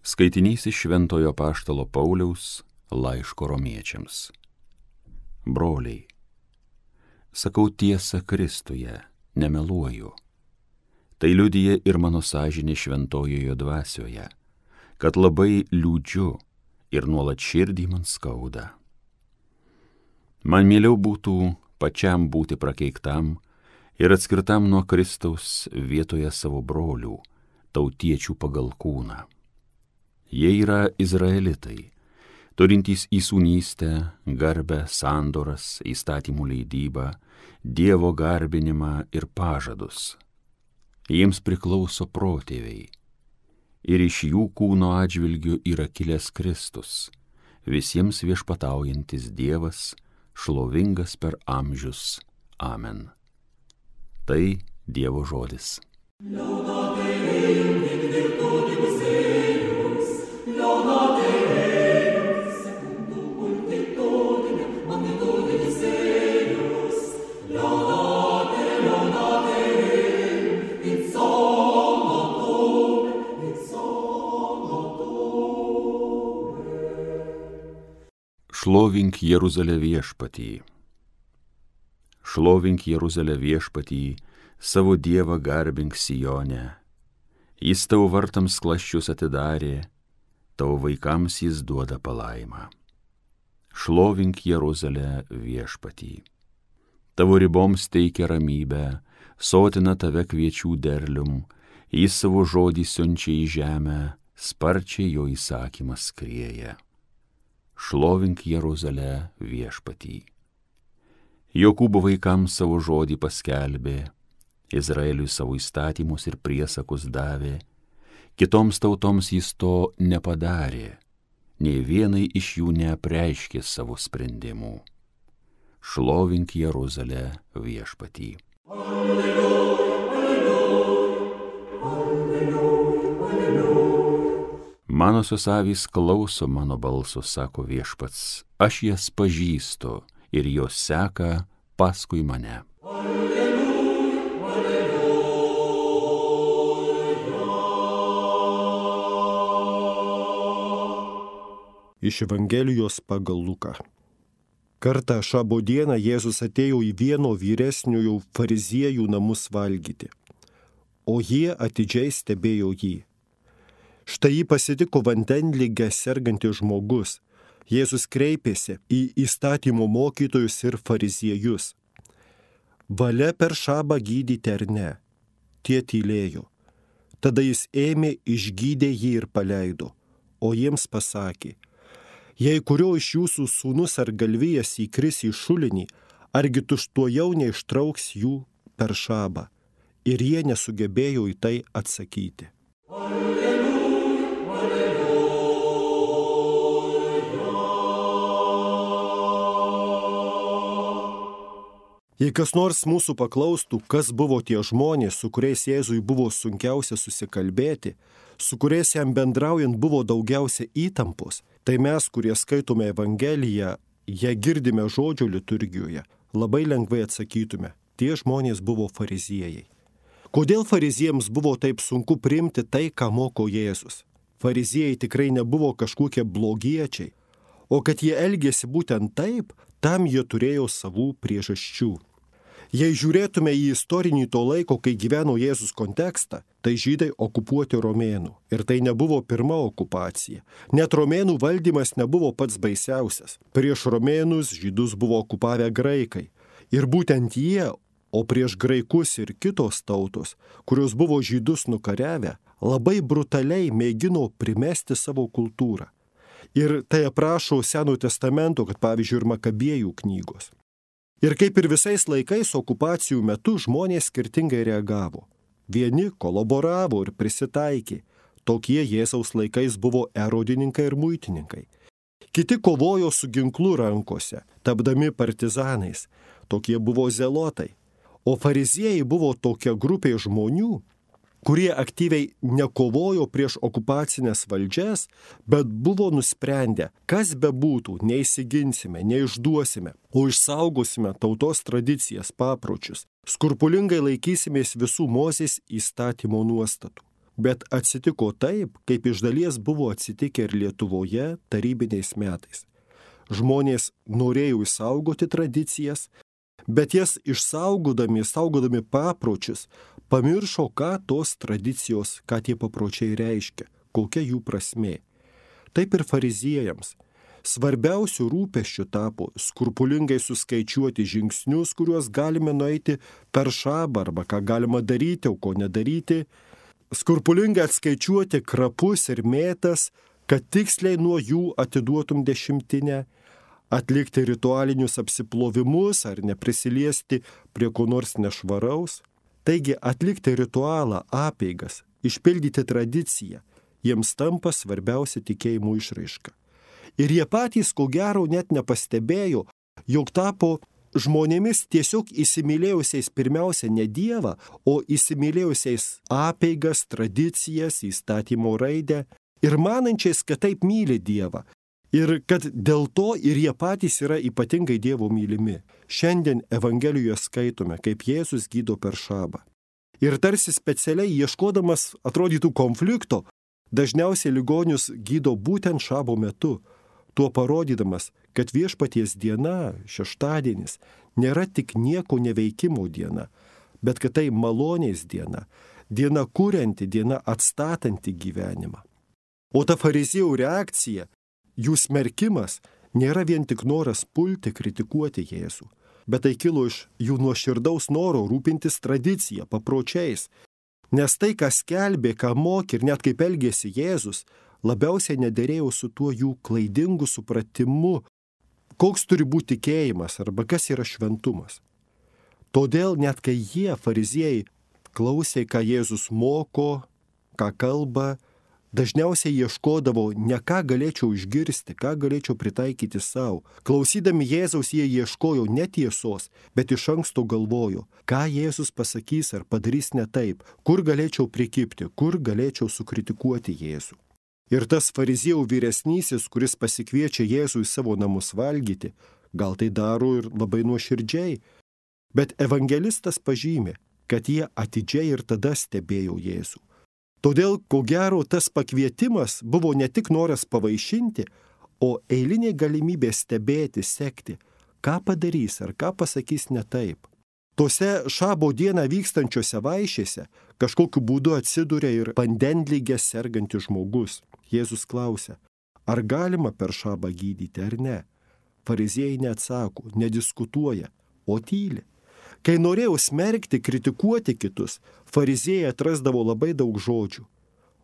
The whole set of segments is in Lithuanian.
Skaitinys iš Šventojo Apaštalo Pauliaus laiško Romiečiams. Broliai, sakau tiesą Kristuje, nemeluoju. Tai liudija ir mano sąžinė šventojoje dvasioje, kad labai liūdžiu ir nuolat širdį man skauda. Man mieliau būtų pačiam būti prakeiktam ir atskirtam nuo Kristaus vietoje savo brolių, tautiečių pagal kūną. Jie yra izraelitai, turintys įsūnystę, garbę, sandoras, įstatymų leidybą, Dievo garbinimą ir pažadus. Jiems priklauso protėviai. Ir iš jų kūno atžvilgių yra kilęs Kristus, visiems viešpataujantis Dievas, šlovingas per amžius. Amen. Tai Dievo žodis. Šlovink Jeruzalę viešpatį. Šlovink Jeruzalę viešpatį, savo Dievą garbink Sione. Jis tavo vartams klasčius atidarė, tavo vaikams jis duoda palaimą. Šlovink Jeruzalę viešpatį. Tavo riboms teikia ramybę, sotina tave kviečių derlium, jis savo žodį siunčia į žemę, sparčiai jo įsakymas skrieja. Šlovink Jeruzalę viešpatį. Jokūbo vaikams savo žodį paskelbė, Izraeliui savo įstatymus ir priesakus davė, kitoms tautoms jis to nepadarė, nei vienai iš jų neapreiškė savo sprendimų. Šlovink Jeruzalę viešpatį. Alleluja, alleluja, alleluja, alleluja. Manosios avys klauso mano balso, sako viešpats, aš jas pažįstu ir jos seka paskui mane. Alleluja, alleluja. Iš Evangelijos pagal Luką. Kartą šabo dieną Jėzus atėjo į vieno vyresniojo fariziejų namus valgyti, o jie atidžiai stebėjo jį. Štai jį pasitiko vandenlige sergantis žmogus. Jėzus kreipėsi į įstatymo mokytojus ir fariziejus. Valia per šabą gydyti ar ne? Tie tylėjo. Tada jis ėmė, išgydė jį ir paleido, o jiems pasakė, jei kurio iš jūsų sūnus ar galvijas įkris į šulinį, argi tučtuojau neištrauks jų per šabą? Ir jie nesugebėjo į tai atsakyti. Jei kas nors mūsų paklaustų, kas buvo tie žmonės, su kuriais Jėzui buvo sunkiausia susikalbėti, su kuriais jam bendraujant buvo daugiausia įtampos, tai mes, kurie skaitome Evangeliją, ją girdime žodžio liturgijoje, labai lengvai atsakytume, tie žmonės buvo fariziejai. Kodėl fariziejams buvo taip sunku priimti tai, ką moko Jėzus? Fariziejai tikrai nebuvo kažkokie blogiečiai, o kad jie elgėsi būtent taip, tam jie turėjo savų priežasčių. Jei žiūrėtume į istorinį to laiko, kai gyveno Jėzus kontekstą, tai žydai okupuoti romėnų. Ir tai nebuvo pirma okupacija. Net romėnų valdymas nebuvo pats baisiausias. Prieš romėnus žydus buvo okupavę graikai. Ir būtent jie, o prieš graikus ir kitos tautos, kurios buvo žydus nukariavę, labai brutaliai mėgino primesti savo kultūrą. Ir tai aprašo Senojo testamento, kad pavyzdžiui ir Makabiejų knygos. Ir kaip ir visais laikais okupacijų metu žmonės skirtingai reagavo. Vieni kolaboravo ir prisitaikė. Tokie Jėzaus laikais buvo erodininkai ir muitininkai. Kiti kovojo su ginklu rankose, tapdami partizanais. Tokie buvo zelotai. O fariziejai buvo tokia grupė žmonių, kurie aktyviai nekovojo prieš okupacinės valdžias, bet buvo nusprendę, kas bebūtų, neįsiginsime, neišduosime, o išsaugosime tautos tradicijas, papročius, skrupulingai laikysimės visų Mozės įstatymo nuostatų. Bet atsitiko taip, kaip iš dalies buvo atsitikę ir Lietuvoje tarybiniais metais. Žmonės norėjo išsaugoti tradicijas, bet jas saugodami papročius, pamiršo, ką tos tradicijos, ką tie papročiai reiškia, kokia jų prasmė. Taip ir fariziejams. Svarbiausių rūpesčių tapo skrupulingai suskaičiuoti žingsnius, kuriuos galime nueiti per šabą, arba ką galima daryti, o ko nedaryti. Skrupulingai atskaičiuoti krapus ir mėtas, kad tiksliai nuo jų atiduotum dešimtinę, atlikti ritualinius apsiplovimus ar neprisiliesti prie ko nors nešvaraus. Taigi atlikti ritualą, apeigas, išpildyti tradiciją, jiems tampa svarbiausia tikėjimo išraiška. Ir jie patys, ko gero, net nepastebėjo, jog tapo žmonėmis tiesiog įsimylėjusiais pirmiausia ne Dievą, o įsimylėjusiais apeigas, tradicijas, įstatymo raidę ir manančiais, kad taip myli Dievą. Ir kad dėl to ir jie patys yra ypatingai Dievo mylimi. Šiandien Evangelijoje skaitome, kaip Jėzus gydo per šabą. Ir tarsi specialiai ieškodamas atrodytų konflikto, dažniausiai ligonius gydo būtent šabo metu, tuo parodydamas, kad viešpaties diena, šeštadienis, nėra tik nieko neveikimo diena, bet kad tai malonės diena, diena kurianti, diena atstatanti gyvenimą. O ta fariziejų reakcija, jų smerkimas, nėra vien tik noras pulti, kritikuoti Jėzų, bet tai kilo iš jų nuoširdaus noro rūpintis tradicija, papročiais, nes tai, ką skelbė, ką mokė ir net kaip elgėsi Jėzus, labiausiai nederėjo su tuo jų klaidingu supratimu, koks turi būti tikėjimas arba kas yra šventumas. Todėl net kai jie, fariziejai, klausė, ką Jėzus moko, ką kalba, dažniausiai ieškodavo ne ką galėčiau išgirsti, ką galėčiau pritaikyti savo. Klausydami Jėzaus jie ieškojo ne tiesos, bet iš anksto galvojo, ką Jėzus pasakys ar padarys ne taip, kur galėčiau prikibti, kur galėčiau sukritikuoti Jėzų. Ir tas fariziejų vyresnysis, kuris pasikviečia Jėzų į savo namus valgyti, gal tai daro ir labai nuoširdžiai, bet evangelistas pažymė, kad jie atidžiai ir tada stebėjo Jėzų. Todėl, ko gero, tas pakvietimas buvo ne tik noras pavaišinti, o eilinė galimybė stebėti, sekti, ką padarys ar ką pasakys ne taip. Tose šabo dieną vykstančiose vaišėse kažkokiu būdu atsiduria ir vandentligės sergantis žmogus. Jėzus klausia, ar galima per šabą gydyti ar ne. Fariziejai neatsako, nediskutuoja, o tyli. Kai norėjau smerkti, kritikuoti kitus, fariziejai atrasdavo labai daug žodžių.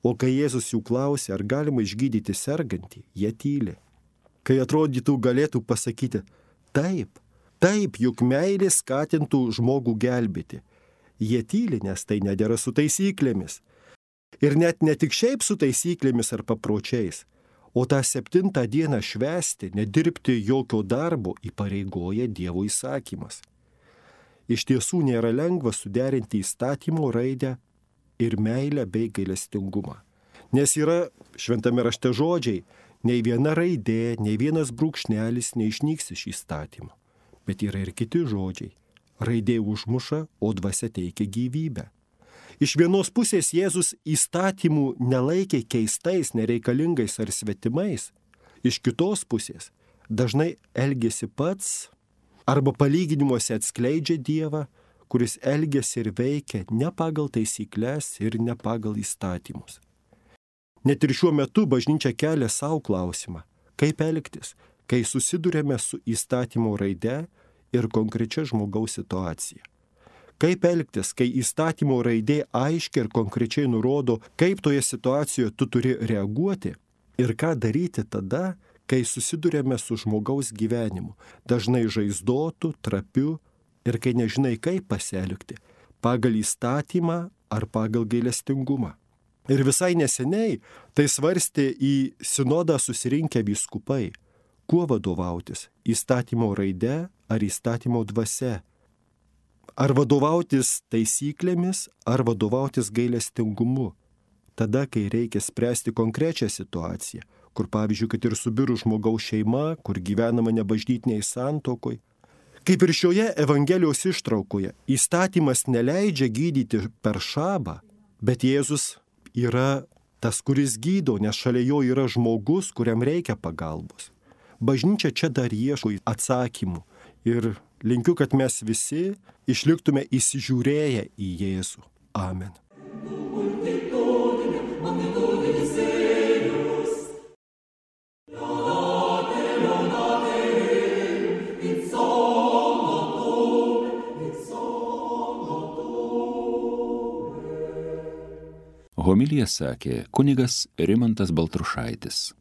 O kai Jėzus jų klausė, ar galima išgydyti sergantį, jie tyli. Kai atrodytų galėtų pasakyti, taip, juk meilė skatintų žmogų gelbėti. Jie tyli, nes tai nedera su taisyklėmis. Ir net ne tik šiaip su taisyklėmis ar papročiais, o tą 7 dieną švęsti, nedirbti jokio darbo įpareigoja Dievo įsakymas. Iš tiesų nėra lengva suderinti įstatymo raidę ir meilę bei gailestingumą. Nes yra šventame rašte žodžiai, nei viena raidė, nei vienas brūkšnelis neišnyks iš įstatymo. Bet yra ir kiti žodžiai. Raidė užmuša, o dvasia teikia gyvybę. Iš vienos pusės Jėzus įstatymų nelaikė keistais, nereikalingais ar svetimais. Iš kitos pusės dažnai elgėsi pats arba palyginimuose atskleidžia Dievą, kuris elgiasi ir veikia ne pagal taisyklės ir ne pagal įstatymus. Net ir šiuo metu bažnyčia kelia savo klausimą, kaip elgtis, kai susidurėme su įstatymo raide ir konkrečia žmogaus situacija. Kaip elgtis, kai įstatymo raidė aiškiai ir konkrečiai nurodo, kaip toje situacijoje tu turi reaguoti ir ką daryti tada, kai susidurėme su žmogaus gyvenimu, dažnai žaizdotu, trapiu ir kai nežinai, kaip pasielgti, pagal įstatymą ar pagal gailestingumą. Ir visai neseniai tai svarstė į sinodą susirinkę vyskupai, kuo vadovautis - įstatymo raide ar įstatymo dvasia. Ar vadovautis taisyklėmis, ar vadovautis gailestingumu. Tada, kai reikia spręsti konkrečią situaciją, kur pavyzdžiui, kad ir subirų žmogaus šeima, kur gyvenama nebažnytiniai santokoj. Kaip ir šioje Evangelijos ištraukoje, įstatymas neleidžia gydyti per šabą, bet Jėzus yra tas, kuris gydo, nes šalia jo yra žmogus, kuriam reikia pagalbos. Bažnyčia čia dar ieško atsakymų ir linkiu, kad mes visi išliktume įsižiūrėję į Jėzų. Amen. Homiliją sakė kunigas Rimantas Baltrušaitis.